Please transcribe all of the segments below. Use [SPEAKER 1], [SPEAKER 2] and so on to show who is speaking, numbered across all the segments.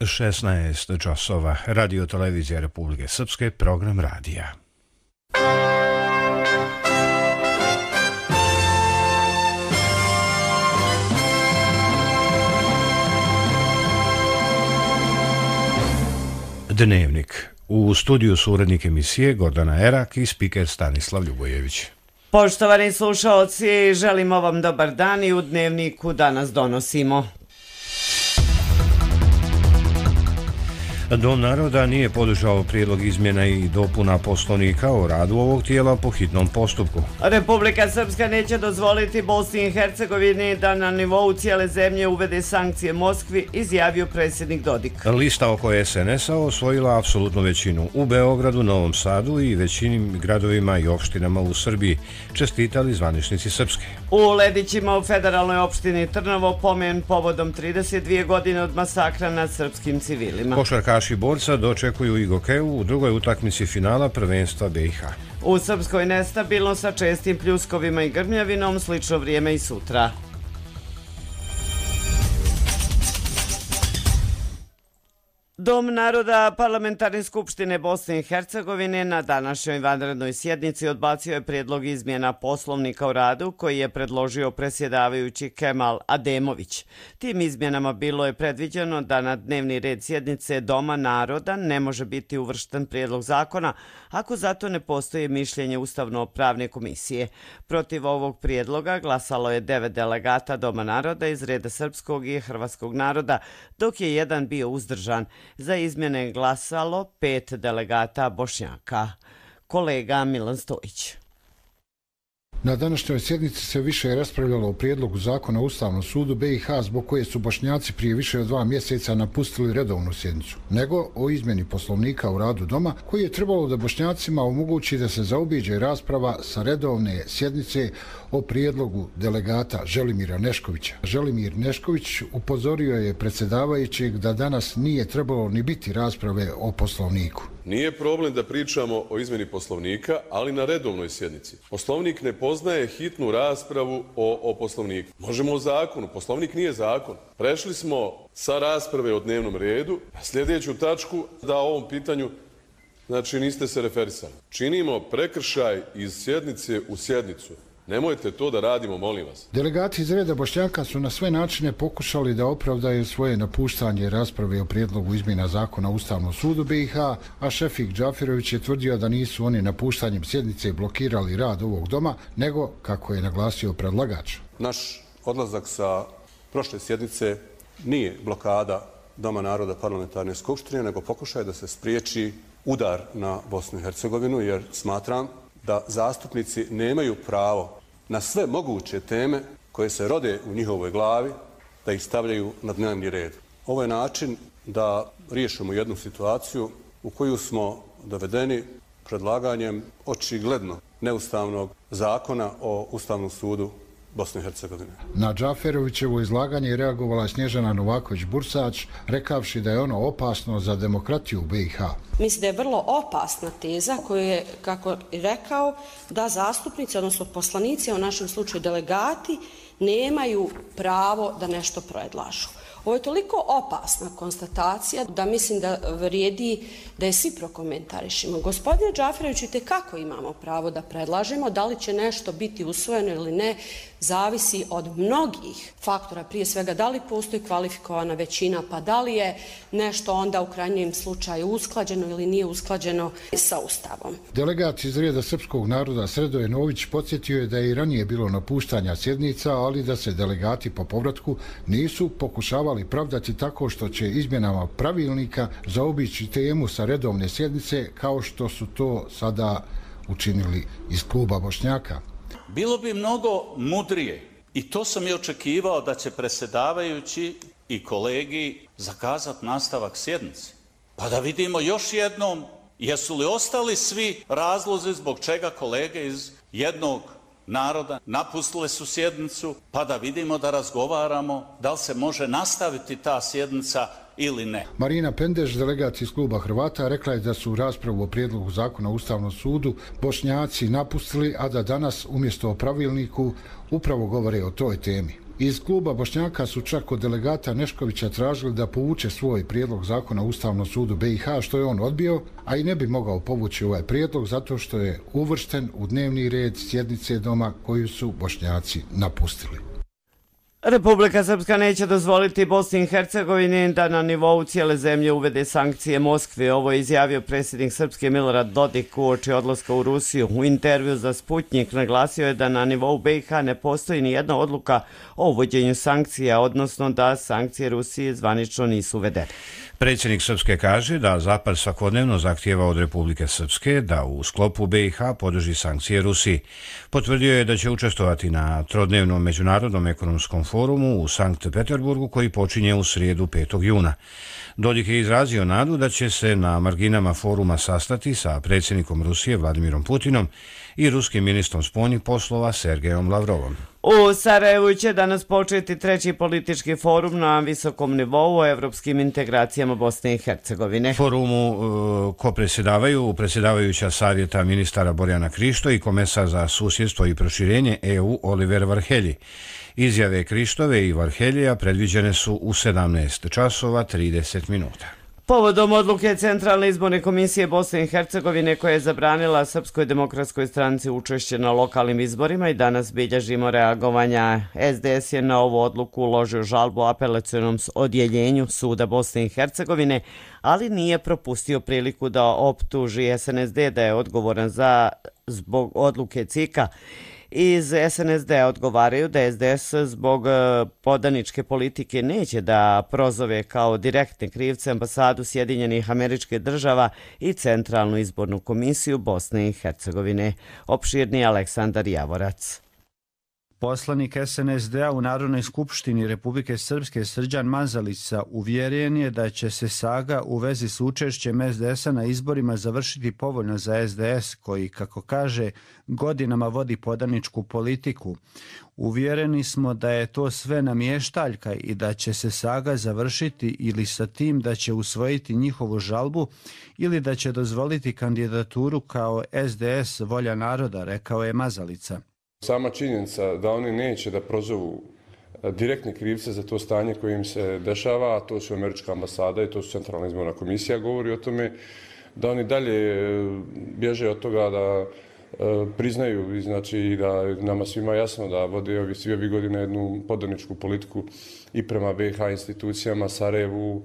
[SPEAKER 1] 16 časova. Radio televizija Republike Srpske, program radija. Dnevnik. U studiju su urednik emisije Gordana Erak i spiker Stanislav Ljubojević.
[SPEAKER 2] Poštovani slušaoci, želimo vam dobar dan i u Dnevniku danas donosimo.
[SPEAKER 1] Dom naroda nije podržao prijedlog izmjena i dopuna Poslovnika o radu ovog tijela po hitnom postupku.
[SPEAKER 2] Republika Srpska neće dozvoliti Bosni i Hercegovini da na nivou cijele zemlje uvede sankcije Moskvi, izjavio predsjednik Dodik.
[SPEAKER 1] Lista oko SNS-a osvojila apsolutnu većinu u Beogradu, Novom Sadu i većinim gradovima i opštinama u Srbiji, čestitali zvaničnici Srpske.
[SPEAKER 2] U Ledićima u federalnoj opštini Trnovo pomen povodom 32 godine od masakra nad srpskim civilima.
[SPEAKER 1] Košarkaši borca dočekuju i Gokeju u drugoj utakmici finala prvenstva BiH.
[SPEAKER 2] U Srpskoj nestabilno sa čestim pljuskovima i grmljavinom, slično vrijeme i sutra. Dom naroda Parlamentarne skupštine Bosne i Hercegovine na današnjoj vanrednoj sjednici odbacio je prijedlog izmjena Poslovnika o radu koji je predložio predsjedavajući Kemal Ademović. Tim izmjenama bilo je predviđeno da na dnevni red sjednice Doma naroda ne može biti uvršten prijedlog zakona ako zato ne postoji mišljenje Ustavno-pravne komisije. Protiv ovog prijedloga glasalo je 9 delegata Doma naroda iz reda srpskog i hrvatskog naroda, dok je jedan bio uzdržan. Za izmjene je glasalo 5 delegata Bošnjaka. Kolega Milan Stojić.
[SPEAKER 3] Na današnjoj sjednici se više raspravljalo o prijedlogu zakona o Ustavnom sudu BiH zbog koje su Bošnjaci prije više od 2 mjeseca napustili redovnu sjednicu, nego o izmjeni Poslovnika u radu Doma koji je trebalo da Bošnjacima omogući da se zaobiđe rasprava sa redovne sjednice o prijedlogu delegata Želimira Neškovića. Želimir Nešković upozorio je predsjedavajućeg da danas nije trebalo ni biti rasprave o Poslovniku.
[SPEAKER 4] Nije problem da pričamo o izmjeni Poslovnika, ali na redovnoj sjednici. Poslovnik ne poznaje hitnu raspravu o Poslovniku. Možemo o zakonu, Poslovnik nije zakon. Prešli smo sa rasprave o dnevnom redu na sljedeću tačku da o ovom pitanju, znači niste se referisali. Činimo prekršaj iz sjednice u sjednicu. Nemojte to da radimo, molim vas.
[SPEAKER 3] Delegati iz reda Bošnjaka su na sve načine pokušali da opravdaju svoje napuštanje rasprave o prijedlogu izmjena zakona o Ustavnom sudu BiH, a Šefik Džafirović je tvrdio da nisu oni napuštanjem sjednice blokirali rad ovog doma, nego, kako je naglasio predlagač.
[SPEAKER 5] Naš odlazak sa prošle sjednice nije blokada Doma naroda Parlamentarne skupštine, nego pokušaj da se spriječi udar na Bosnu i Hercegovinu, jer smatram da zastupnici nemaju pravo na sve moguće teme koje se rode u njihovoj glavi da ih stavljaju na dnevni red. Ovo je način da riješimo jednu situaciju u koju smo dovedeni predlaganjem očigledno neustavnog zakona o Ustavnom sudu Bosne i Hercegovine.
[SPEAKER 3] Na Džaferovićevo izlaganje je reagovala Snježana Novaković-Bursač, rekavši da je ono opasno za demokratiju u BiH.
[SPEAKER 6] Mislim da je vrlo opasna teza koju je, kako je rekao, da zastupnici, odnosno poslanici, a u našem slučaju delegati, nemaju pravo da nešto predlažu. Ovo je toliko opasna konstatacija da mislim da vrijedi da je svi prokomentarišemo. Gospodine Džaferoviću, kako imamo pravo da predlažemo, da li će nešto biti usvojeno ili ne, zavisi od mnogih faktora. Prije svega, da li postoji kvalifikovana većina, pa da li je nešto onda u krajnjem slučaju usklađeno ili nije usklađeno sa Ustavom.
[SPEAKER 3] Delegat iz reda srpskog naroda Sredoje Nović podsjetio je da je i ranije bilo napuštanja sjednica, ali da se delegati po povratku nisu pokušavali pravdati tako što će izmjenama pravilnika zaobići temu sa redovne sjednice kao što su to sada učinili iz kluba Bošnjaka.
[SPEAKER 7] Bilo bi mnogo mudrije i to sam i očekivao da će predsjedavajući i kolegi zakazati nastavak sjednice. Pa da vidimo još jednom jesu li ostali svi razlozi zbog čega kolege iz jednog naroda napustile su sjednicu, pa da vidimo, da razgovaramo da li se može nastaviti ta sjednica ili ne.
[SPEAKER 3] Marina Pendež, delegat iz kluba Hrvata, rekla je da su raspravu o prijedlogu zakona o Ustavnom sudu Bošnjaci napustili, a da danas umjesto o pravilniku upravo govore o toj temi. Iz kluba Bošnjaka su čak od delegata Neškovića tražili da povuče svoj prijedlog zakona o Ustavnom sudu BiH, što je on odbio, a i ne bi mogao povući ovaj prijedlog zato što je uvršten u dnevni red sjednice doma koju su Bošnjaci napustili.
[SPEAKER 2] Republika Srpska neće dozvoliti Bosni i Hercegovini da na nivou cijele zemlje uvede sankcije Moskvi. Ovo je izjavio predsjednik Srpske Milorad Dodik uoči odlaska u Rusiju. U intervju za Sputnjik naglasio je da na nivou BiH ne postoji ni jedna odluka o uvođenju sankcija, odnosno da sankcije Rusije zvanično nisu uvedene.
[SPEAKER 1] Predsjednik Srpske kaže da Zapad svakodnevno zahtijeva od Republike Srpske da u sklopu BiH podrži sankcije Rusiji. Potvrdio je da će učestvovati na trodnevnom međunarodnom ekonomskom forumu u Sankt Peterburgu koji počinje u srijedu 5. juna. Dodik je izrazio nadu da će se na marginama foruma sastati sa predsjednikom Rusije Vladimirom Putinom i ruskim ministrom spoljnih poslova Sergejom Lavrovom.
[SPEAKER 2] U Sarajevu će danas početi treći politički forum na visokom nivou o evropskim integracijama Bosne i Hercegovine.
[SPEAKER 1] Forumu ko-predsjedavaju predsjedavajuća savjeta ministara Borjana Krišto i komesar za susjedstvo i proširenje EU Oliver Varhelji. Izjave Krištove i Varheljija predviđene su u 17 časova 30 minuta.
[SPEAKER 2] Povodom odluke Centralne izborne komisije Bosne i Hercegovine koja je zabranila Srpskoj demokratskoj stranci učešće na lokalnim izborima i danas bilježimo reagovanja. SDS je na ovu odluku uložio žalbu apelacionom odjeljenju Suda Bosne i Hercegovine, ali nije propustio priliku da optuži SNSD da je odgovoran zbog odluke CIK-a. Iz SNSD odgovaraju da SDS zbog podaničke politike neće da prozove kao direktne krivce ambasadu Sjedinjenih Američkih Država i Centralnu izbornu komisiju Bosne i Hercegovine. Opširni Aleksandar Javorac.
[SPEAKER 8] Poslanik SNSD-a u Narodnoj skupštini Republike Srpske Srđan Mazalica uvjeren je da će se saga u vezi s učešćem SDS-a na izborima završiti povoljno za SDS, koji, kako kaže, godinama vodi podaničku politiku. Uvjereni smo da je to sve namještaljka i da će se saga završiti ili sa tim da će usvojiti njihovu žalbu ili da će dozvoliti kandidaturu kao SDS volja naroda, rekao je Mazalica.
[SPEAKER 9] Sama činjenica da oni neće da prozovu direktni krivce za to stanje koje im se dešava, a to su Američka ambasada i to su Centralna izborna komisija, govori o tome da oni dalje bježe od toga da priznaju, znači da nama svima jasno da vode svi ovi godine jednu podaničku politiku i prema BiH institucijama, Sarajevu,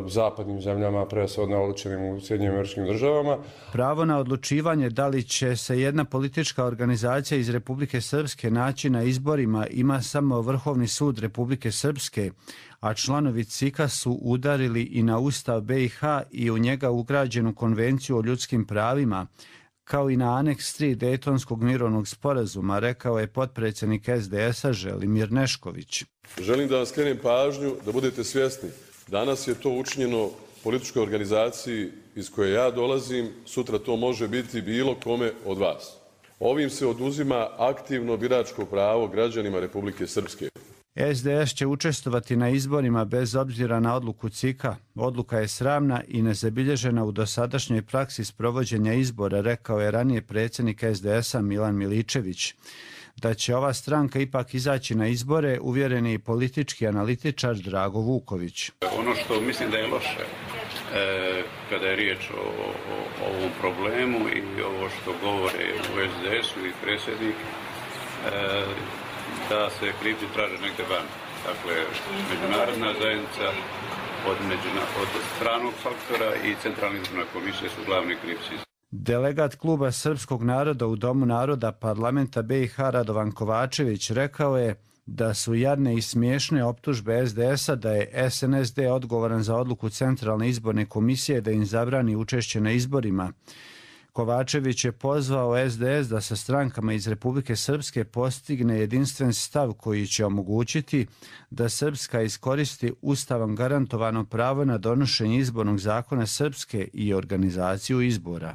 [SPEAKER 9] zapadnim zemljama, prevashodno odlučenim u Sjedinjenim Američkim Državama.
[SPEAKER 8] Pravo na odlučivanje da li će se jedna politička organizacija iz Republike Srpske naći na izborima ima samo Vrhovni sud Republike Srpske, a članovi CIK-a su udarili i na Ustav BiH i u njega ugrađenu Konvenciju o ljudskim pravima, kao i na aneks 3 Dejtonskog mirovnog sporazuma, rekao je potpredsjednik SDS-a Želimir Nešković.
[SPEAKER 4] Želim da vam skrenem pažnju da budete svjesni. Danas je to učinjeno političkoj organizaciji iz koje ja dolazim, sutra to može biti bilo kome od vas. Ovim se oduzima aktivno biračko pravo građanima Republike Srpske.
[SPEAKER 8] SDS će učestvovati na izborima bez obzira na odluku CIK-a. Odluka je sramna i nezabilježena u dosadašnjoj praksi sprovođenja izbora, rekao je ranije predsjednik SDS-a Milan Miličević. Da će ova stranka ipak izaći na izbore, uvjeren je i politički analitičar Drago Vuković.
[SPEAKER 10] Ono što mislim da je loše kada je riječ o ovom problemu i ovo što govore u SDS-u i predsjednik, da se krivci traže negdje van. Dakle, međunarodna zajednica od stranog faktora i Centralna izborna komisija su glavni krivci.
[SPEAKER 8] Delegat kluba Srpskog naroda u Domu naroda parlamenta BiH Radovan Kovačević rekao je da su jadne i smiješne optužbe SDS-a da je SNSD odgovoran za odluku Centralne izborne komisije da im zabrani učešće na izborima. Kovačević je pozvao SDS da sa strankama iz Republike Srpske postigne jedinstven stav koji će omogućiti da Srpska iskoristi ustavom garantovano pravo na donošenje izbornog zakona Srpske i organizaciju izbora.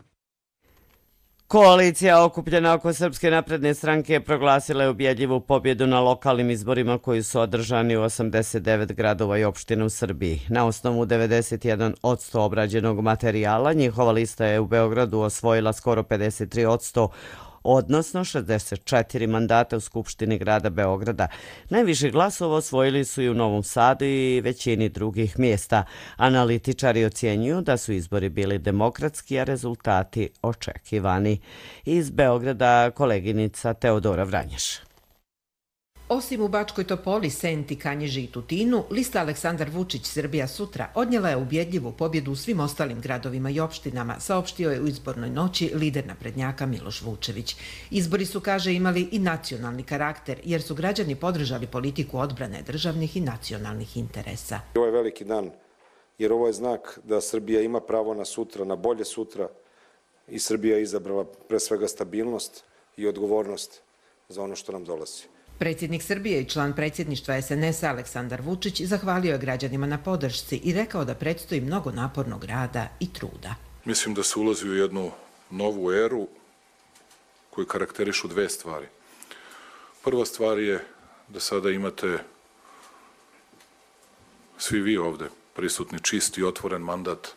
[SPEAKER 2] Koalicija okupljena oko Srpske napredne stranke proglasila je ubjedljivu pobjedu na lokalnim izborima koji su održani u 89 gradova i opština u Srbiji. Na osnovu 91% obrađenog materijala njihova lista je u Beogradu osvojila skoro 53%, odnosno 64 mandata u Skupštini grada Beograda. Najviše glasova osvojili su i u Novom Sadu i većini drugih mjesta. Analitičari ocjenjuju da su izbori bili demokratski, a rezultati očekivani. Iz Beograda koleginica Teodora Vranješ.
[SPEAKER 11] Osim u Bačkoj Topoli, Senti, Kanjiži i Tutinu, lista Aleksandar Vučić Srbija sutra odnijela je ubjedljivu pobjedu u svim ostalim gradovima i opštinama, saopštio je u izbornoj noći lider naprednjaka Miloš Vučević. Izbori su, kaže, imali i nacionalni karakter, jer su građani podržali politiku odbrane državnih i nacionalnih interesa.
[SPEAKER 12] Ovo je veliki dan, jer ovo je znak da Srbija ima pravo na sutra, na bolje sutra, i Srbija je izabrala pre svega stabilnost i odgovornost za ono što nam dolazi.
[SPEAKER 11] Predsjednik Srbije i član predsjedništva SNS-a Aleksandar Vučić zahvalio je građanima na podršci i rekao da predstoji mnogo napornog rada i truda.
[SPEAKER 13] Mislim da se ulazi u jednu novu eru koju karakterišu dve stvari. Prva stvar je da sada imate svi vi ovde prisutni čist i otvoren mandat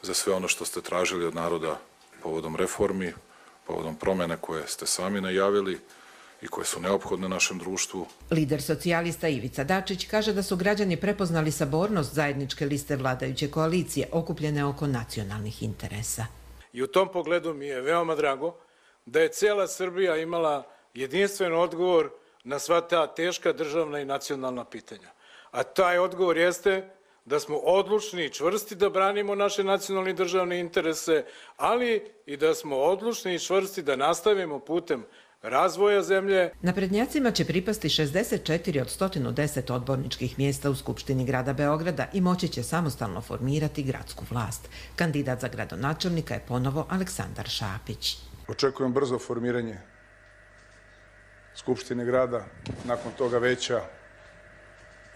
[SPEAKER 13] za sve ono što ste tražili od naroda povodom reformi, povodom promjene koje ste sami najavili i koje su neophodne našem društvu.
[SPEAKER 11] Lider socijalista Ivica Dačić kaže da su građani prepoznali sabornost zajedničke liste vladajuće koalicije okupljene oko nacionalnih interesa.
[SPEAKER 14] I u tom pogledu mi je veoma drago da je cijela Srbija imala jedinstven odgovor na sva ta teška državna i nacionalna pitanja. A taj odgovor jeste da smo odlučni i čvrsti da branimo naše nacionalne i državne interese, ali i da smo odlučni i čvrsti da nastavimo putem razvoja zemlje.
[SPEAKER 11] Naprednjacima će pripasti 64 od 110 odborničkih mjesta u Skupštini grada Beograda i moći će samostalno formirati gradsku vlast. Kandidat za gradonačelnika je ponovo Aleksandar Šapić.
[SPEAKER 14] Očekujem brzo formiranje Skupštine grada, nakon toga veća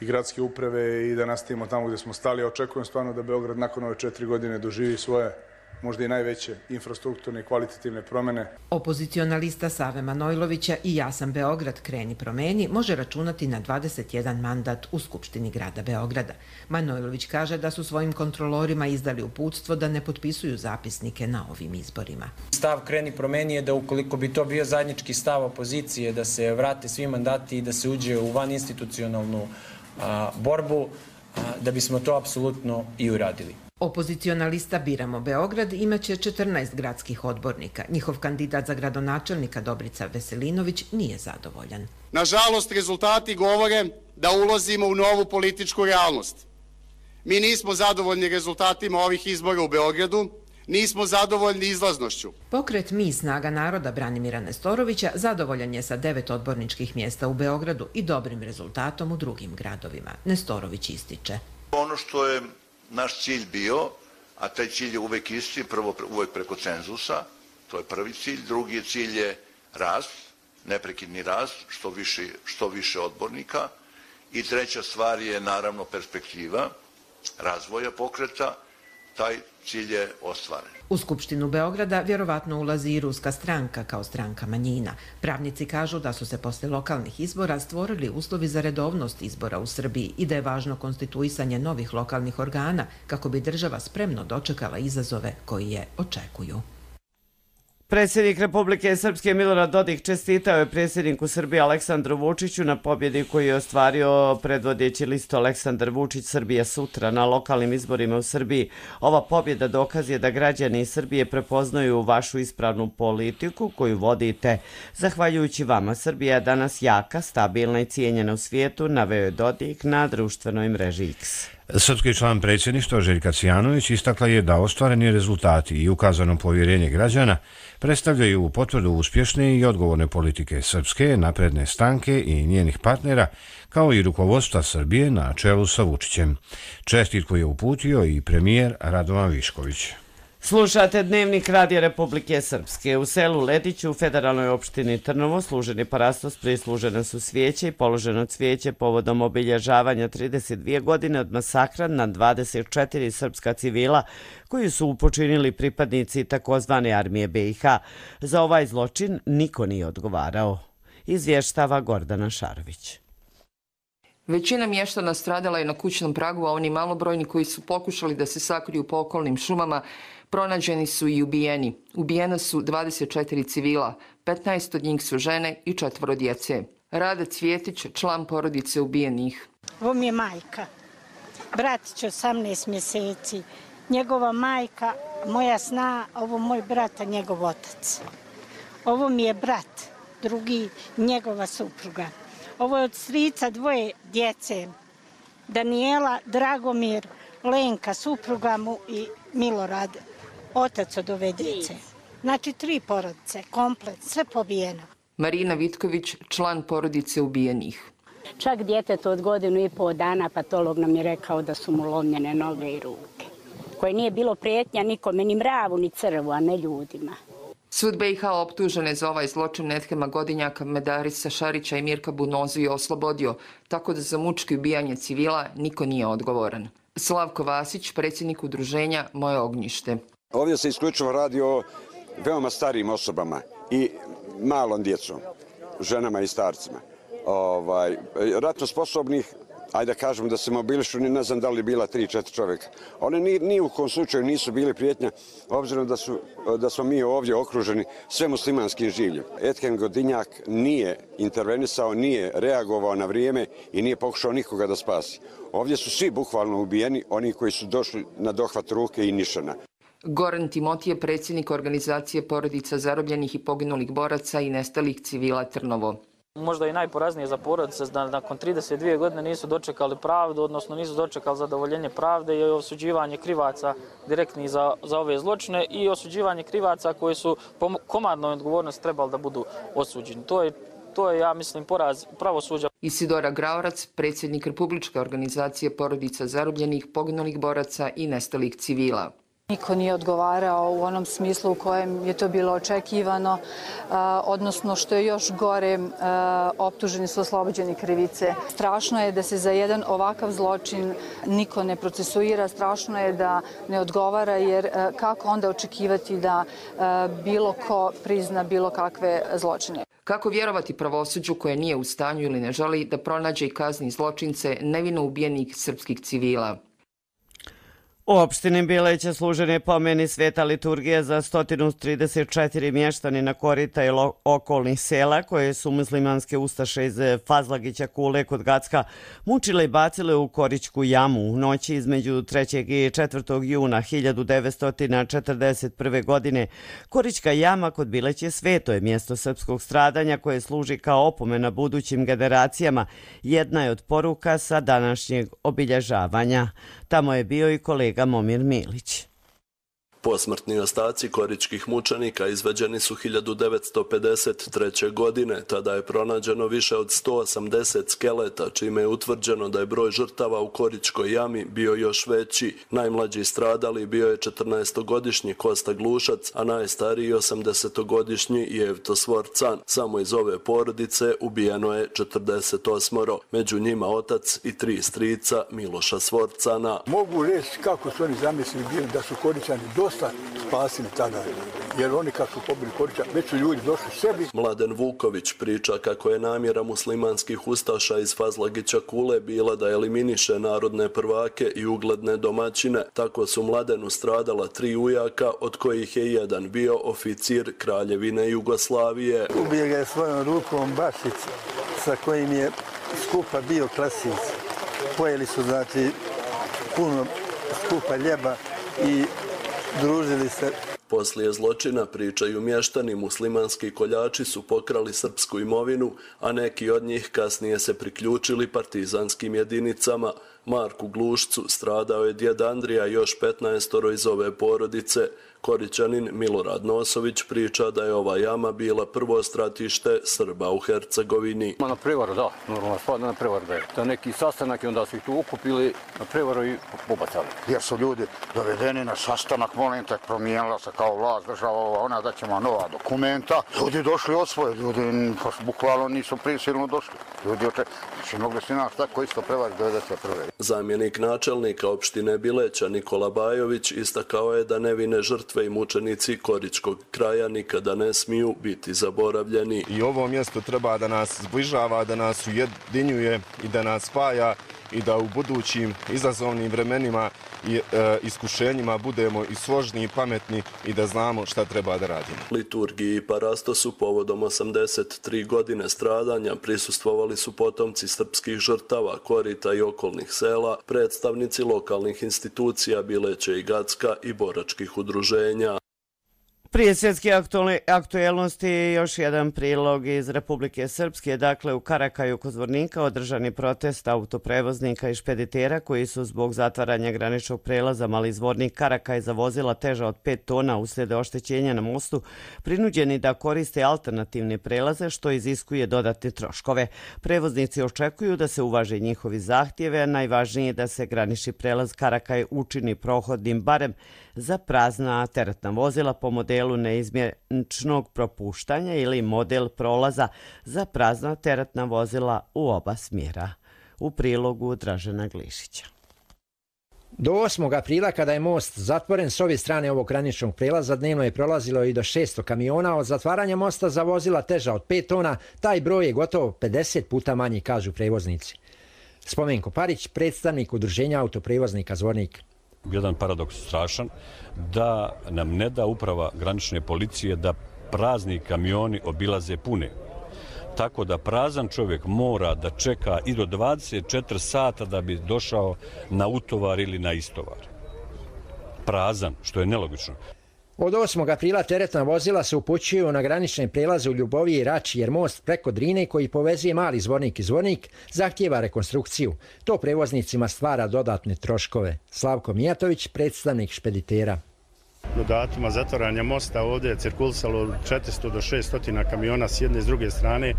[SPEAKER 14] i gradske uprave i da nastavimo tamo gdje smo stali. Očekujem stvarno da Beograd nakon ove 4 godine doživi svoje, možda i najveće infrastrukturne i kvalitativne promjene.
[SPEAKER 11] Opozicionalista Save Manojlovića i Ja sam Beograd, kreni promeni može računati na 21 mandat u Skupštini grada Beograda. Manojlović kaže da su svojim kontrolorima izdali uputstvo da ne potpisuju zapisnike na ovim izborima.
[SPEAKER 15] Stav kreni promeni je da ukoliko bi to bio zajednički stav opozicije, da se vrate svi mandati i da se uđe u vaninstitucionalnu borbu, da bismo to apsolutno i uradili.
[SPEAKER 11] Opozicionalista Biramo Beograd imaće 14 gradskih odbornika. Njihov kandidat za gradonačelnika Dobrica Veselinović nije zadovoljan.
[SPEAKER 16] Nažalost, rezultati govore da ulazimo u novu političku realnost. Mi nismo zadovoljni rezultatima ovih izbora u Beogradu, nismo zadovoljni izlaznošću.
[SPEAKER 11] Pokret Mi snaga naroda Branimira Nestorovića zadovoljan je sa 9 odborničkih mjesta u Beogradu i dobrim rezultatom u drugim gradovima. Nestorović ističe.
[SPEAKER 17] Ono što je naš cilj bio, a taj cilj je uvek isti, prvo uvek preko cenzusa, to je prvi cilj, drugi cilj je rast, neprekidni rast, što više odbornika, i treća stvar je naravno perspektiva razvoja pokreta, taj cilj je ostvaren.
[SPEAKER 11] U Skupštinu Beograda vjerovatno ulazi i Ruska stranka kao stranka manjina. Pravnici kažu da su se posle lokalnih izbora stvorili uslovi za redovnost izbora u Srbiji i da je važno konstituisanje novih lokalnih organa kako bi država spremno dočekala izazove koji je očekuju.
[SPEAKER 2] Predsjednik Republike Srpske Milorad Dodik čestitao je predsjedniku Srbije Aleksandru Vučiću na pobjedi koju je ostvario predvodeći listu Aleksandar Vučić Srbija sutra na lokalnim izborima u Srbiji. Ova pobjeda dokaz je da građani Srbije prepoznaju vašu ispravnu politiku koju vodite. Zahvaljujući vama, Srbija je danas jaka, stabilna i cijenjena u svijetu, naveo je Dodik na društvenoj mreži X.
[SPEAKER 1] Srpski član predsjedništva Željka Cijanović istakla je da ostvareni rezultati i ukazano povjerenje građana predstavljaju potvrdu uspješne i odgovorne politike Srpske napredne stranke i njenih partnera, kao i rukovodstva Srbije na čelu sa Vučićem. Čestitku je uputio i premijer Radovan Višković.
[SPEAKER 2] Slušate Dnevnik Radija Republike Srpske. U selu Lediću u federalnoj opštini Trnovo služeni parastos prislužene su svijeće i položeno cvijeće povodom obilježavanja 32 godine od masakra na 24 srpska civila koji su upočinili pripadnici takozvane armije BiH. Za ovaj zločin niko nije odgovarao. Izvještava Gordana Šarović.
[SPEAKER 18] Većina mještana stradala je na kućnom pragu, a oni malobrojni koji su pokušali da se sakriju po okolnim šumama Pronađeni su i ubijeni. Ubijena su 24 civila, 15 od njih su žene i 4 djece. Rada Cvjetić, član porodice ubijenih.
[SPEAKER 19] Ovo mi je majka. Bratić 18 mjeseci. Njegova majka, moja sna, ovo moj brat, a njegov otac. Ovo mi je brat, drugi, njegova supruga. Ovo je od strica 2 djece. Daniela, Dragomir, Lenka, supruga mu i Milorad, otac od ove djece. Znači 3 porodice, komplet, sve pobijeno.
[SPEAKER 18] Marina Vitković, član porodice ubijenih.
[SPEAKER 20] Čak djeteto od 1,5 godina patolog nam je rekao da su mu lomljene noge i ruke. Koje nije bilo prijetnja nikome, ni mravu, ni crvu, a ne ljudima.
[SPEAKER 18] Sud BiH optužene za ovaj zločin Nethema Godinjaka, Medarisa Šarića i Mirka Bunozu je oslobodio, tako da za mučki ubijanje civila niko nije odgovoran. Slavko Vasić, predsjednik udruženja Moje ognjište.
[SPEAKER 21] Ovdje se isključivo radi o veoma starijim osobama i malom djecom, ženama i starcima. Ratno sposobnih, ajde da kažem da se mobilišu, ne znam da li bila 3-4 čovjeka. One ni u kom slučaju nisu bili prijetnja, obzirom da smo mi ovdje okruženi sve muslimanskim življem. Ethem Godinjak nije intervenisao, nije reagovao na vrijeme i nije pokušao nikoga da spasi. Ovdje su svi bukvalno ubijeni, oni koji su došli na dohvat ruke i nišana.
[SPEAKER 18] Goran Timotije, predsjednik organizacije porodica zarobljenih i poginulih boraca i nestalih civila Trnovo.
[SPEAKER 22] Možda i najporaznije za porodice da nakon 32 godine nisu dočekali pravdu, odnosno nisu dočekali zadovoljenje pravde i osuđivanje krivaca direktni za ove zločine i osuđivanje krivaca koji su po komandnoj odgovornosti trebali da budu osuđeni. To je, ja mislim, poraz pravosuđa.
[SPEAKER 18] Isidora Graorac, predsjednik Republičke organizacije porodica zarobljenih, poginulih boraca i nestalih civila.
[SPEAKER 23] Niko nije odgovarao u onom smislu u kojem je to bilo očekivano, odnosno što je još gore, optuženi su oslobođeni krivice. Strašno je da se za jedan ovakav zločin niko ne procesuira, strašno je da ne odgovara, jer kako onda očekivati da bilo ko prizna bilo kakve zločine.
[SPEAKER 18] Kako vjerovati pravosuđu koje nije u stanju ili ne želi da pronađe i kazni zločince nevino ubijenih srpskih civila?
[SPEAKER 2] U opštini Bileće služen je pomeni sveta liturgija za 134 mještanina Korita i okolnih sela koje su muslimanske ustaše iz Fazlagića Kule kod Gacka mučile i bacile u Korićku jamu u noći između 3. i 4. juna 1941. godine. Korićka jama kod Bileće sveto je mjesto srpskog stradanja koje služi kao opomena budućim generacijama. Jedna je od poruka sa današnjeg obilježavanja. Tamo je bio i kolega Momir Milić.
[SPEAKER 24] Posmrtni ostaci koričkih mučenika izveđeni su 1953. godine. Tada je pronađeno više od 180 skeleta, čime je utvrđeno da je broj žrtava u Koričkoj jami bio još veći. Najmlađi stradali bio je 14-godišnji Kosta Glušac, a najstariji 80-godišnji Jevto Svorcan. Samo iz ove porodice ubijeno je 48, među njima otac i 3 strica Miloša Svorcana.
[SPEAKER 25] Mogu reći kako su oni zamislili bili da su Koričani dosta spasili tada, jer oni kad su pobili Korića, već su ljudi došli sebi.
[SPEAKER 24] Mladen Vuković priča kako je namjera muslimanskih ustaša iz Fazlagića Kule bila da eliminiše narodne prvake i ugledne domaćine. Tako su Mladenu stradala 3 ujaka, od kojih je jedan bio oficir Kraljevine Jugoslavije.
[SPEAKER 25] Ubije ga je svojom rukom Bašić, sa kojim je skupa bio Klasić. Pojeli su, znači, puno skupa ljeba i družili se.
[SPEAKER 24] Poslije zločina, pričaju mještani, muslimanski koljači su pokrali srpsku imovinu, a neki od njih kasnije se priključili partizanskim jedinicama. Marku Glušcu stradao je djed Andrija i još 15 iz ove porodice. Korićanin Milorad Nosović priča da je ova jama bila prvo stratište Srba u Hercegovini.
[SPEAKER 26] Na prevaru, da, normalno spadne na prevaru da je. To je neki sastanak i onda su ih tu ukupili na prevaru i pobacali.
[SPEAKER 27] Jer su ljudi dovedeni na sastanak, molim te, promijenila se kao vlast, država ona da ćemo nova dokumenta. Ljudi došli od svoje, ljudi bukvalno nisu prisilno došli. Ljudi znači mogli su naš tako isto prevari 91.
[SPEAKER 24] Zamjenik načelnika opštine Bileća Nikola Bajović istakao je da nevine žrtve i mučenici Koričkog kraja nikada ne smiju biti zaboravljeni.
[SPEAKER 28] I ovo mjesto treba da nas zbližava, da nas ujedinjuje i da nas spaja
[SPEAKER 3] i da u budućim izazovnim vremenima i iskušenjima budemo i složni i pametni i da znamo šta treba da radimo.
[SPEAKER 24] Liturgiji i parastosu povodom 83 godine stradanja prisustvovali su potomci srpskih žrtava, Korita i okolnih sela, predstavnici lokalnih institucija Bileće i Gacka i boračkih udruženja.
[SPEAKER 2] Prije svjetske aktuelnosti još jedan prilog iz Republike Srpske. Dakle, u Karakaju kod Zvornika održani protest autoprevoznika i špeditera koji su zbog zatvaranja graničnog prelaza Mali Zvornik Karakaj za vozila teža od 5 tona uslijed oštećenja na mostu prinuđeni da koriste alternativne prelaze što iziskuje dodatne troškove. Prevoznici očekuju da se uvaže njihovi zahtjeve, a najvažnije je da se granični prelaz Karakaj učini prohodnim barem za prazna teretna vozila po modelu neizmjeničnog propuštanja ili model prolaza za prazna teretna vozila u oba smjera. U prilogu Dražena Glišića.
[SPEAKER 4] Do 8. aprila, kada je most zatvoren s obje strane ovog graničnog prelaza, dnevno je prolazilo i do 600 kamiona. Od zatvaranja mosta za vozila teža od 5 tona, taj broj je gotovo 50 puta manji, kažu prevoznici. Spomenko Parić, predstavnik udruženja autoprevoznika Zvornik.
[SPEAKER 5] Jedan paradoks strašan, da nam ne da uprava granične policije da prazni kamioni obilaze pune. Tako da prazan čovjek mora da čeka i do 24 sata da bi došao na utovar ili na istovar. Prazan, što je nelogično.
[SPEAKER 4] Od 8. aprila teretna vozila se upućuju na granične prelaze u Ljuboviji i Rači, jer most preko Drine koji povezuje Mali Zvornik i Zvornik zahtijeva rekonstrukciju. To prevoznicima stvara dodatne troškove. Slavko Mijatović, predstavnik špeditera.
[SPEAKER 6] Do datuma zatvaranja mosta ovdje je cirkulisalo 400 do 600 kamiona s jedne i s druge strane,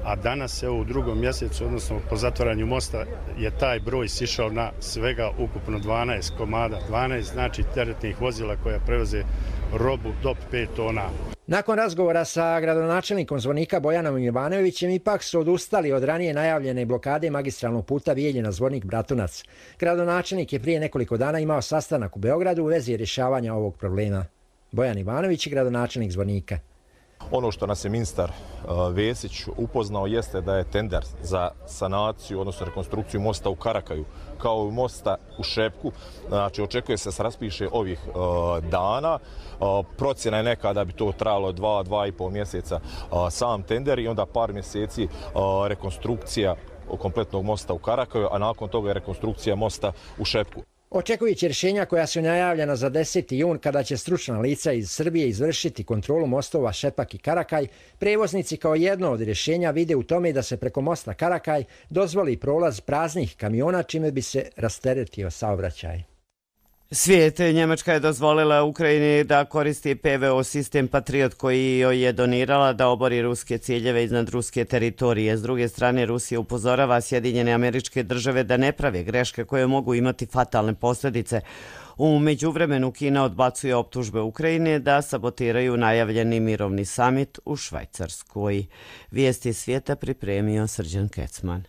[SPEAKER 6] a danas u 2. mjesecu, odnosno po zatvaranju mosta, je taj broj sišao na svega ukupno 12 komada. 12 znači teretnih vozila koja prevoze robu do 5 tona.
[SPEAKER 4] Nakon razgovora sa gradonačelnikom Zvornika Bojanom Ivanovićem ipak su odustali od ranije najavljene blokade magistralnog puta Bijeljina Zvornik Bratunac. Gradonačelnik je prije nekoliko dana imao sastanak u Beogradu u vezi rješavanja ovog problema. Bojan Ivanović, gradonačelnik Zvornika.
[SPEAKER 7] Ono što nas je ministar Vesić upoznao jeste da je tender za sanaciju, odnosno rekonstrukciju mosta u Karakaju, kao i mosta u Šepku. Znači, očekuje se da se raspiše ovih dana. Procjena je neka da bi to trajalo 2,5 mjeseca sam tender i onda par mjeseci rekonstrukcija kompletnog mosta u Karakaju, a nakon toga je rekonstrukcija mosta u Šepku.
[SPEAKER 4] Očekujući rješenja koja su najavljena za 10. jun, kada će stručna lica iz Srbije izvršiti kontrolu mostova Šepak i Karakaj, prevoznici kao jedno od rješenja vide u tome da se preko mosta Karakaj dozvoli prolaz praznih kamiona, čime bi se rasteretio saobraćaj.
[SPEAKER 2] Svijet, Njemačka je dozvolila Ukrajini da koristi PVO sistem Patriot koji joj je donirala da obori ruske ciljeve iznad ruske teritorije. S druge strane, Rusija upozorava Sjedinjene Američke Države da ne prave greške koje mogu imati fatalne posljedice. U međuvremenu Kina odbacuje optužbe Ukrajine da sabotiraju najavljeni mirovni samit u Švajcarskoj. Vijesti svijeta pripremio Srđan Kecman.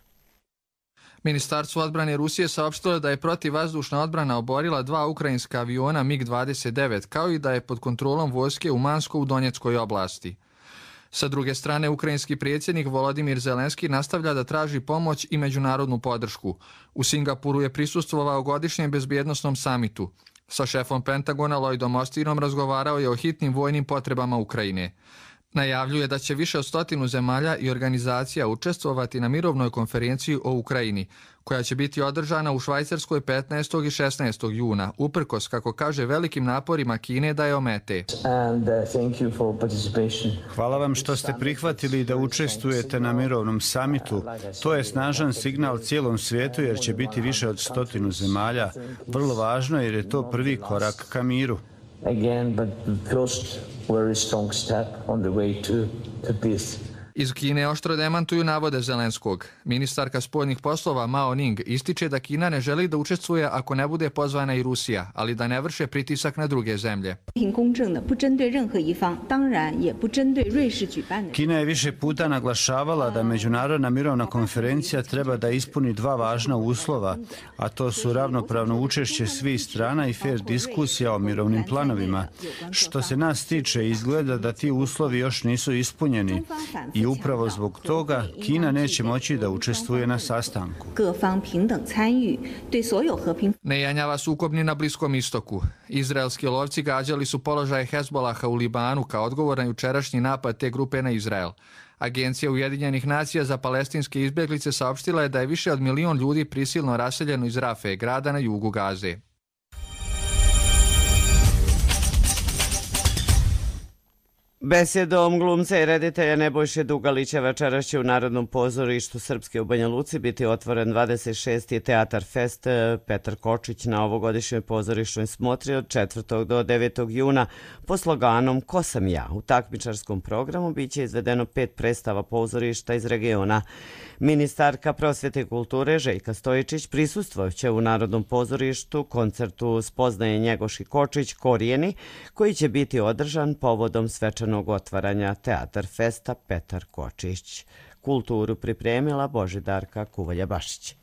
[SPEAKER 9] Ministarstvo odbrane Rusije saopštilo da je protivvazdušna odbrana oborila 2 ukrajinska aviona MiG-29, kao i da je pod kontrolom vojske u Mansko u Donjeckoj oblasti. Sa druge strane, ukrajinski predsjednik Volodimir Zelenski nastavlja da traži pomoć i međunarodnu podršku. U Singapuru je prisustvovao godišnjem bezbjednosnom samitu. Sa šefom Pentagona Lloydom Austinom razgovarao je o hitnim vojnim potrebama Ukrajine. Najavljuje da će više od 100 zemalja i organizacija učestvovati na mirovnoj konferenciji o Ukrajini, koja će biti održana u Švajcarskoj 15. i 16. juna, uprkos, kako kaže, velikim naporima Kine da je omete.
[SPEAKER 8] Hvala vam što ste prihvatili da učestvujete na mirovnom samitu. To je snažan signal cijelom svijetu jer će biti više od 100 zemalja. Vrlo važno jer je to prvi korak ka miru.
[SPEAKER 9] Iz Kine oštro demantuju navode Zelenskog. Ministarka spoljnih poslova Mao Ning ističe da Kina ne želi da učestvuje ako ne bude pozvana i Rusija, ali da ne vrše pritisak na druge zemlje.
[SPEAKER 8] Kina je više puta naglašavala da međunarodna mirovna konferencija treba da ispuni 2 važna uslova, a to su ravnopravno učešće svih strana i fair diskusija o mirovnim planovima. Što se nas tiče, izgleda da ti uslovi još nisu ispunjeni. i upravo zbog toga Kina neće moći da učestvuje na sastanku.
[SPEAKER 9] Ne janjava sukobni na Bliskom istoku. Izraelski lovci gađali su položaje Hezbolaha u Libanu kao odgovor na jučerašnji napad te grupe na Izrael. Agencija Ujedinjenih nacija za palestinske izbjeglice saopštila je da je više od 1 milion ljudi prisilno raseljeno iz Rafe, grada na jugu Gaze.
[SPEAKER 2] Besjedom glumca i reditelja Nebojše Dugalića večeras će u Narodnom pozorištu Srpske u Banja Luci biti otvoren 26. Teatar Fest Petar Kočić na ovogodišnjoj pozorišnoj smotri od 4. do 9. juna po sloganom Ko sam ja? U takmičarskom programu biće izvedeno 5 predstava pozorišta iz regiona. Ministarka prosvjete i kulture Željka Stojičić prisustvoće u Narodnom pozorištu koncertu Spoznaje Njegoš i Kočić Korijeni, koji će biti održan povodom svečanog otvaranja Teatar Festa Petar Kočić. Kulturu pripremila Božidarka Kuvalja-Bašić.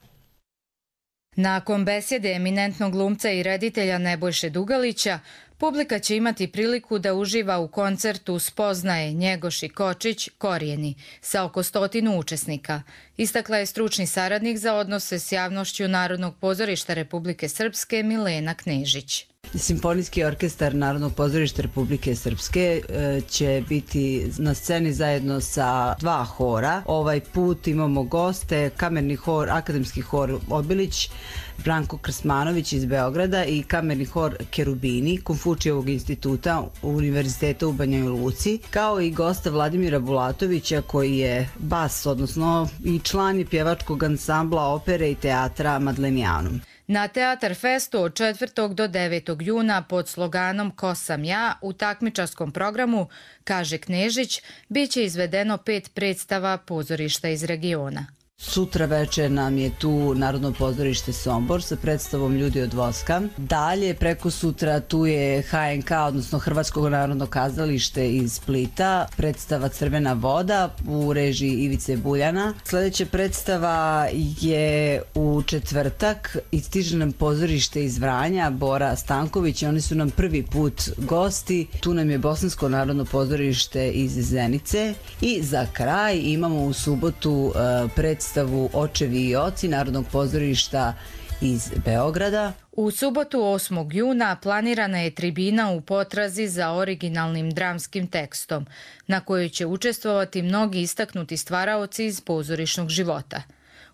[SPEAKER 10] Nakon besjede eminentnog glumca i reditelja Nebojše Dugalića, publika će imati priliku da uživa u koncertu Spoznaje Njegoš i Kočić Korijeni sa oko 100 učesnika, istakla je stručni saradnik za odnose s javnošću Narodnog pozorišta Republike Srpske Milena Knežić.
[SPEAKER 12] Simfonijski orkestar Narodnog pozorišta Republike Srpske će biti na sceni zajedno sa 2 hora. Ovaj put imamo goste, kamerni hor, akademski hor Obilić, Branko Krsmanović iz Beograda i kamerni hor Kerubini Konfučijevog instituta Univerziteta u Banja Luci, kao i gosta Vladimira Bulatovića koji je bas, odnosno i član je pjevačkog ansambla opere i teatra Madlenijanum.
[SPEAKER 10] Na Teatar Festu od 4. do 9. juna pod sloganom Ko sam ja u takmičarskom programu, kaže Knežić, bit će izvedeno 5 predstava pozorišta iz regiona.
[SPEAKER 12] Sutra večer nam je tu Narodno pozorište Sombor sa predstavom Ljudi od voska. Dalje, preko sutra tu je HNK, odnosno Hrvatsko narodno kazalište iz Splita, predstava Crvena voda u režiji Ivice Buljana. Sljedeća predstava je u četvrtak i stiže nam pozorište iz Vranja, Bora Stanković, oni su nam prvi put gosti. Tu nam je Bosansko narodno pozorište iz Zenice i za kraj imamo u subotu predstavu Očevi i oci Narodnog pozorišta iz Beograda.
[SPEAKER 10] U subotu 8. juna planirana je tribina u potrazi za originalnim dramskim tekstom, na kojoj će učestvovati mnogi istaknuti stvaraoci iz pozorišnog života.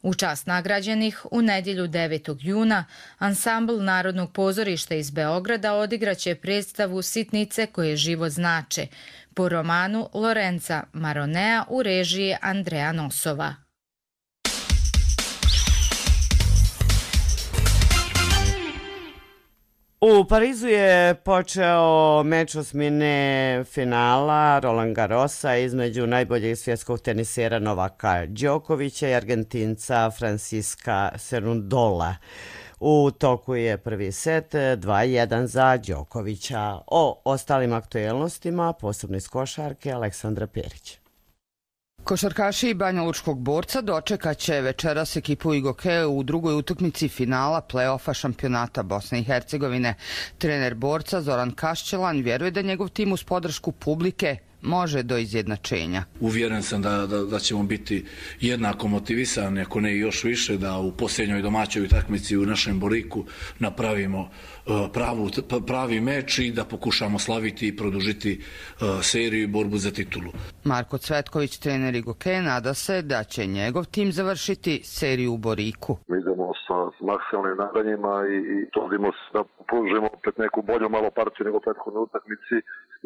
[SPEAKER 10] U čast nagrađenih, u nedjelju 9. juna, ansambl Narodnog pozorišta iz Beograda odigraće predstavu Sitnice koje život znače, po romanu Lorenza Maronea u režiji Andreja Nosova.
[SPEAKER 2] U Parizu je počeo meč osmine finala Roland Garrosa između najboljeg svjetskog tenisera Novaka Đokovića i Argentinca Francisca Cerundola. U toku je prvi set 2-1 za Đokovića. O ostalim aktuelnostima posebno iz košarke Aleksandra Perić.
[SPEAKER 13] Košarkaši Banjalučkog Borca dočekat će večeras ekipu Igoke u drugoj utakmici finala play-offa šampionata Bosne i Hercegovine. Trener Borca Zoran Kašćelan vjeruje da njegov tim uz podršku publike može do izjednačenja.
[SPEAKER 14] Uvjeren sam da ćemo biti jednako motivisani, ako ne i još više, da u posljednjoj domaćoj utakmici u našem Boriku napravimo pravi meč i da pokušamo slaviti i produžiti seriju i borbu za titulu.
[SPEAKER 13] Marko Cvetković, trener Igoke, nada se da će njegov tim završiti seriju u Boriku.
[SPEAKER 15] Mi idemo sa maksimalnim nadanjima i trudimo se da pružimo opet neku bolju malo partiju nego prethodne utakmici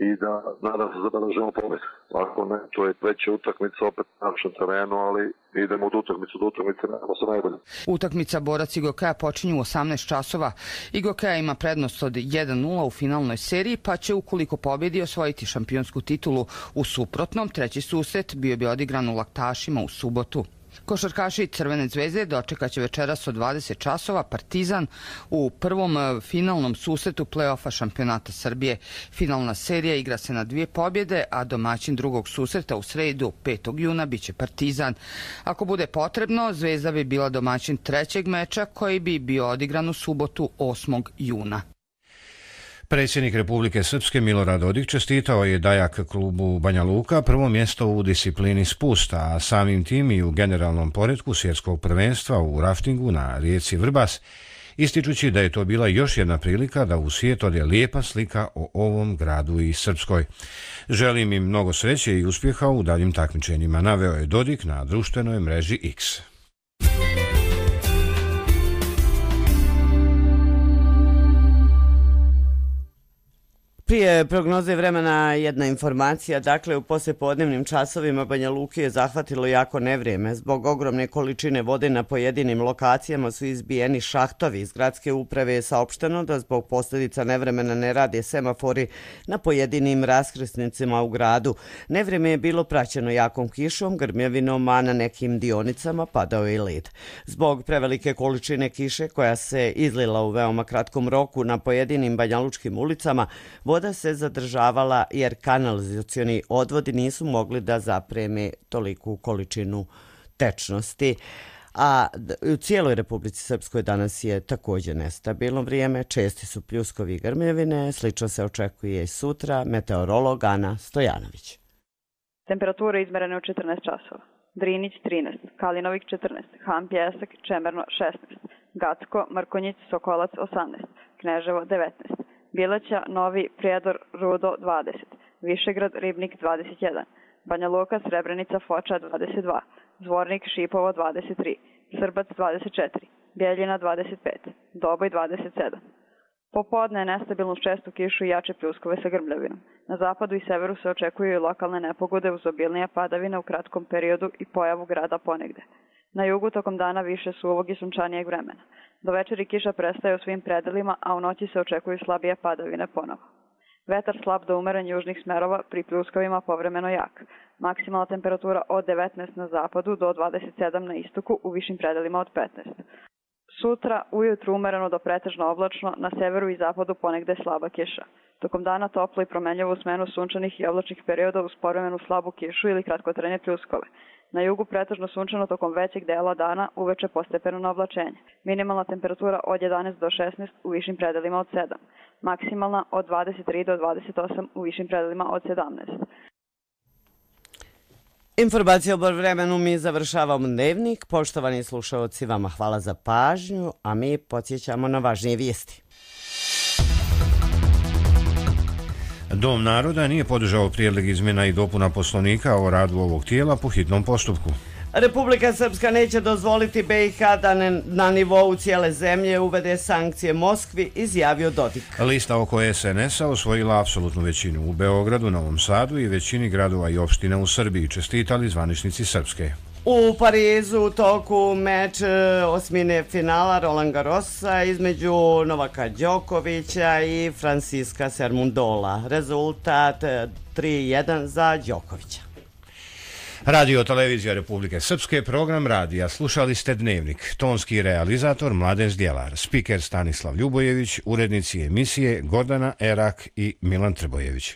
[SPEAKER 15] i da nadam se zabeležimo pobjed. Ako ne, to je veća utakmica opet na našem terenu, ali idemo od utakmice, nadamo se najbolje.
[SPEAKER 13] Utakmica Borac Igokeja počinju u 18 časova. Igokeja ima prednost od 1-0 u finalnoj seriji, pa će ukoliko pobjedi osvojiti šampionsku titulu. U suprotnom, treći susret bio bi odigran u Laktašima u subotu. Košarkaši Crvene zvezde dočekat će večeras od 20 časova Partizan u prvom finalnom susretu play-offa šampionata Srbije. Finalna serija igra se na 2 pobjede, a domaćin drugog susreta u sredu 5. juna biće Partizan. Ako bude potrebno, Zvezda bi bila domaćin trećeg meča koji bi bio odigran u subotu 8. juna.
[SPEAKER 1] Predsjednik Republike Srpske Milorad Dodik čestitao je Dajak klubu Banja Luka prvo mjesto u disciplini spusta, a samim tim i u generalnom poretku svjetskog prvenstva u raftingu na rijeci Vrbas, ističući da je to bila još jedna prilika da u svijet ode lijepa slika o ovom gradu i Srpskoj. Želim im mnogo sreće i uspjeha u daljim takmičenjima, naveo je Dodik na društvenoj mreži X.
[SPEAKER 2] Prije prognoze vremena jedna informacija, dakle u poslijepodnevnim časovima Banja Luke je zahvatilo jako nevrijeme. Zbog ogromne količine vode na pojedinim lokacijama su izbijeni šahtovi. Iz gradske uprave je saopšteno da zbog posljedica nevremena ne rade semafori na pojedinim raskrsnicama u gradu. Nevrijeme je bilo praćeno jakom kišom, grmljavinom, a na nekim dionicama padao je i led. Zbog prevelike količine kiše koja se izlila u veoma kratkom roku na pojedinim banjalučkim ulicama, voda se zadržavala jer kanalizacioni odvodi nisu mogli da zapreme toliku količinu tečnosti. A u cijeloj Republici Srpskoj danas je također nestabilno vrijeme, česti su pljuskovi i grmljavine, slično se očekuje i sutra. Meteorolog Ana Stojanović.
[SPEAKER 11] Temperature izmerene u 14 časova. Drinić 13, Kalinovik 14, Han Pjesak, Čemerno 16, Gacko, Mrkonjić, Sokolac 18, Kneževo 19, Bileća, Novi, Prijedor, Rudo 20, Višegrad, Ribnik 21, Banja Luka, Srebrenica, Foča 22, Zvornik, Šipovo 23, Srbac 24, Bjeljina 25, Doboj 27. Popodne je nestabilnu čestu kišu i jače pljuskove sa grmljavinom. Na zapadu i severu se očekuju i lokalne nepogode uz obilnije padavine u kratkom periodu i pojavu grada ponegde. Na jugu tokom dana više suvog i sunčanijeg vremena. Do večeri kiša prestaje u svim predelima, a u noći se očekuju slabije padavine ponovo. Vetar slab do umeren južnih smerova, pri pljuskovima povremeno jak. Maksimalna temperatura od 19 na zapadu do 27 na istoku, u višim predelima od 15. Sutra ujutru umereno do pretežno oblačno, na severu i zapadu ponegde slaba kiša. Tokom dana toplo i promenljivo u smenu sunčanih i oblačnih perioda uz povremenu slabu kišu ili kratkotrajne pljuskove. Na jugu pretežno sunčano tokom većeg dela dana, uveče postepeno na oblačenje. Minimalna temperatura od 11 do 16 u višim predelima od 7. Maksimalna od 23 do 28 u višim predelima od 17.
[SPEAKER 2] Informacija o vremenu mi završavamo dnevnik. Poštovani slušalci, vama hvala za pažnju, a mi podsjećamo na važnije vijesti.
[SPEAKER 1] Dom naroda nije podržao prijedlog izmjena i dopuna Poslovnika o radu ovog tijela po hitnom postupku.
[SPEAKER 2] Republika Srpska neće dozvoliti BiH da na nivou cijele zemlje uvede sankcije Moskvi, izjavio Dodik.
[SPEAKER 1] Lista oko SNS-a osvojila apsolutnu većinu u Beogradu, Novom Sadu i većini gradova i opština u Srbiji, čestitali zvaničnici Srpske.
[SPEAKER 2] U Parizu u toku meč osmine finala Roland Garrosa između Novaka Đokovića i Franciska Sermundola. Rezultat 3:1 za Đokovića.
[SPEAKER 1] Radio Televizija Republike Srpske, program radija. Slušali ste Dnevnik. Tonski realizator Mladen Zdjelar, spiker Stanislav Ljubojević, urednici emisije Gordana Erak i Milan Trbojević.